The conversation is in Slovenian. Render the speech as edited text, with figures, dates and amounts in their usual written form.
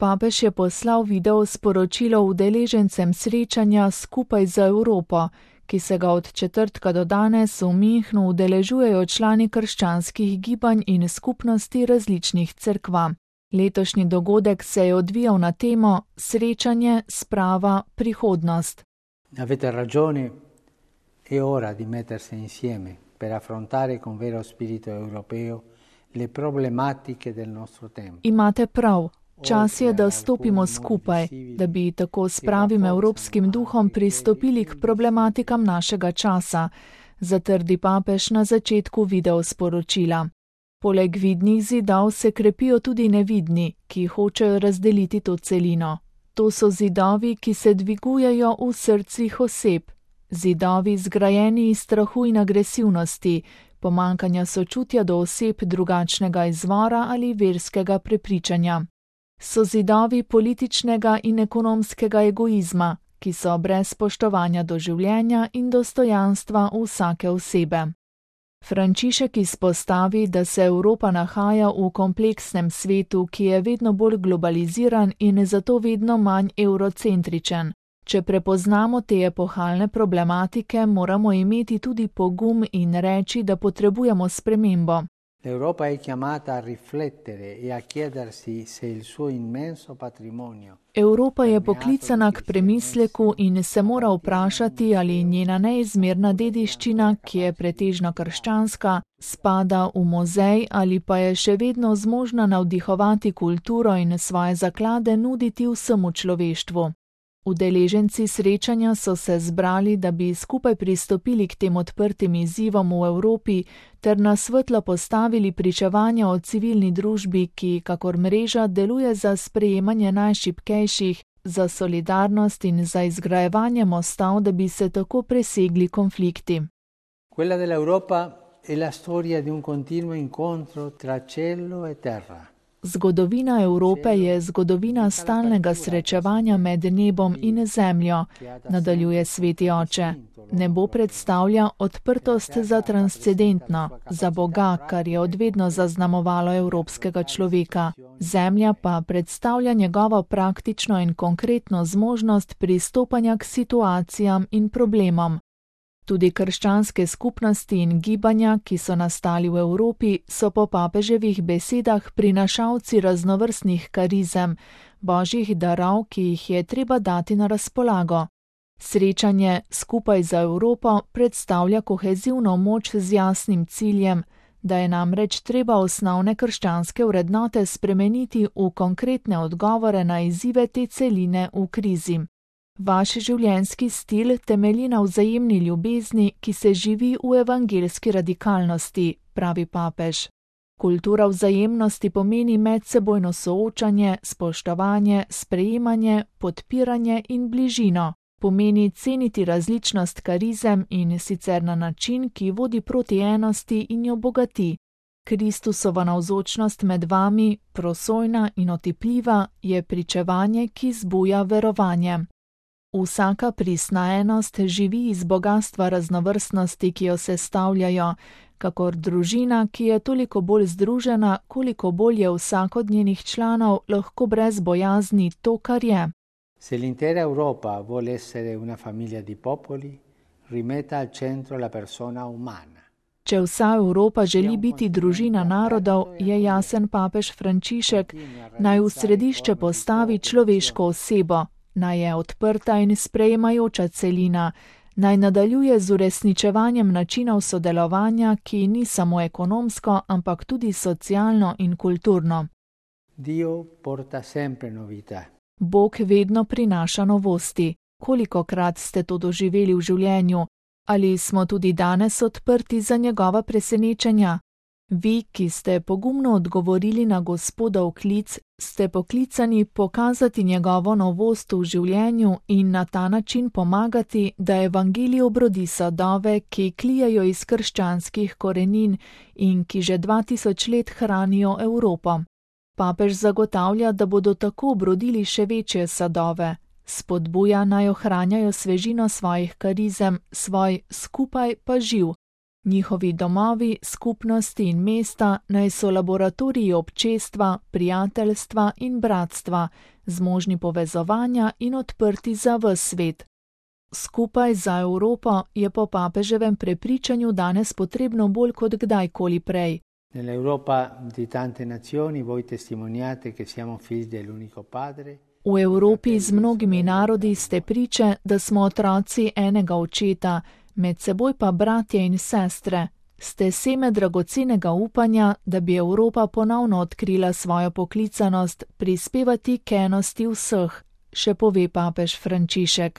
Papež je poslal video sporočilo udeležencem srečanja Skupaj za Evropo, ki se ga od četrtka do danes v Münchnu udeležujejo člani krščanskih gibanj in skupnosti različnih cerkva. Letošnji dogodek se je odvijal na temo Srečanje, sprava, prihodnost. Avete ragione, è ora di mettersi insieme per affrontare con vero spirito europeo le problematiche del nostro tempo. Imate prav. Čas je, da stopimo skupaj, da bi tako s pravim evropskim duhom pristopili k problematikam našega časa, zatrdi papež na začetku videosporočila. Poleg vidnih zidov se krepijo tudi nevidni, ki hočejo razdeliti to celino. To so zidovi, ki se dvigujejo v srcih oseb. Zidovi zgrajeni iz strahu in agresivnosti, pomanjkanja sočutja do oseb drugačnega izvora ali verskega prepričanja. So zidovi političnega in ekonomskega egoizma, ki so brez spoštovanja do življenja in dostojanstva vsake osebe. Frančišek izpostavi, da se Evropa nahaja v kompleksnem svetu, ki je vedno bolj globaliziran in zato vedno manj eurocentričen. Če prepoznamo te epohalne problematike, moramo imeti tudi pogum in reči, da potrebujemo spremembo. L'Europa è chiamata a riflettere e a chiedersi se il suo immenso patrimonio. Evropa je poklicana k premisleku in se mora vprašati, ali njena neizmerna dediščina, ki je pretežno krščanska, spada v muzej ali pa je še vedno zmožna navdihovati kulturo in svoje zaklade nuditi vsemu človeštvu. Udeleženci srečanja so se zbrali, da bi skupaj pristopili k tem odprtim izzivom v Evropi ter na svetlo postavili pričevanja o civilni družbi, ki, kakor mreža, deluje za sprejemanje najšibkejših, za solidarnost in za izgrajevanje mostov, da bi se tako presegli konflikti. Quella dell'Europa è la storia di un continuo incontro tra cielo e terra. Zgodovina Evrope je zgodovina stalnega srečevanja med nebom in zemljo, nadaljuje sveti oče. Nebo predstavlja odprtost za transcendentno, za Boga, kar je odvedno zaznamovalo evropskega človeka. Zemlja pa predstavlja njegovo praktično in konkretno zmožnost pristopanja k situacijam in problemom. Tudi krščanske skupnosti in gibanja, ki so nastali v Evropi, so po papeževih besedah prinašalci raznovrstnih karizem, božjih darov, ki jih je treba dati na razpolago. Srečanje Skupaj za Evropo predstavlja kohezivno moč z jasnim ciljem, da je namreč treba osnovne krščanske vrednote spremeniti v konkretne odgovore na izzive te celine v krizi. Vaš življenjski stil temelji na vzajemni ljubezni, ki se živi v evangeljski radikalnosti, pravi papež. Kultura vzajemnosti pomeni medsebojno soočanje, spoštovanje, sprejemanje, podpiranje in bližino. Pomeni ceniti različnost karizem in sicer na način, ki vodi proti enosti in jo bogati. Kristusova navzočnost med vami, prosojna in otipljiva, je pričevanje, ki zbuja verovanje. Vsaka pristna enost živi iz bogastva raznovrstnosti, ki jo sestavljajo, kakor družina, ki je toliko bolj združena, koliko bolj je vsak od njenih članov lahko brez bojazni to, kar je. Se l'intera Europa vuole essere una famiglia di popoli, rimetta al centro la persona umana. Če vsa Evropa želi biti družina narodov, je jasen papež Frančišek, naj v središče postavi človeško osebo, naj je odprta in sprejemajoča celina, naj nadaljuje z uresničevanjem načinov sodelovanja, ki ni samo ekonomsko, ampak tudi socialno in kulturno. Dio porta sempre novità. Bog vedno prinaša novosti. Kolikokrat ste to doživeli v življenju? Ali smo tudi danes odprti za njegova presenečenja? Vi, ki ste pogumno odgovorili na Gospodov klic, ste poklicani pokazati njegovo novost v življenju in na ta način pomagati, da evangelij obrodi sadove, ki klijajo iz krščanskih korenin in ki že 2000 let hranijo Evropo. Papež zagotavlja, da bodo tako obrodili še večje sadove. Spodbuja naj ohranjajo svežino svojih karizem, svoj skupaj pa živ. Njihovi domovi, skupnosti in mesta naj so laboratoriji občestva, prijateljstva in bratstva, zmožni povezovanja in odprti za ves svet. Skupaj za Evropo je po papeževem prepričanju danes potrebno bolj kot kdajkoli prej. V Evropi z mnogimi narodi ste priče, da smo otroci enega očeta, med seboj pa bratje in sestre. Ste seme dragocenega upanja, da bi Evropa ponovno odkrila svojo poklicanost, prispevati k enosti vseh, še pove papež Frančišek.